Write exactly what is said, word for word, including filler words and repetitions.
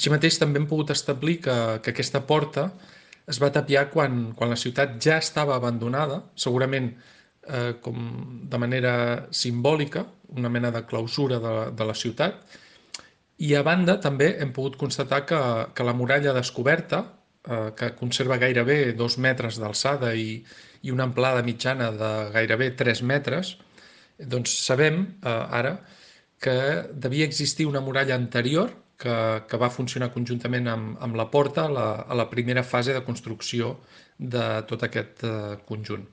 Així mateix també hem pogut establir que, que aquesta porta es va tapiar quan, quan la ciutat ja estava abandonada, segurament eh, com de manera simbòlica, una mena de clausura de, de la ciutat. I a banda també hem pogut constatar que, que la muralla descoberta, eh, que conserva gairebé dos metres d'alçada i, i una amplada mitjana de gairebé tres metres, doncs sabem eh, ara que devia existir una muralla anterior que, que va funcionar conjuntament amb, amb la porta a la, a la primera fase de construcció de tot aquest eh, conjunt.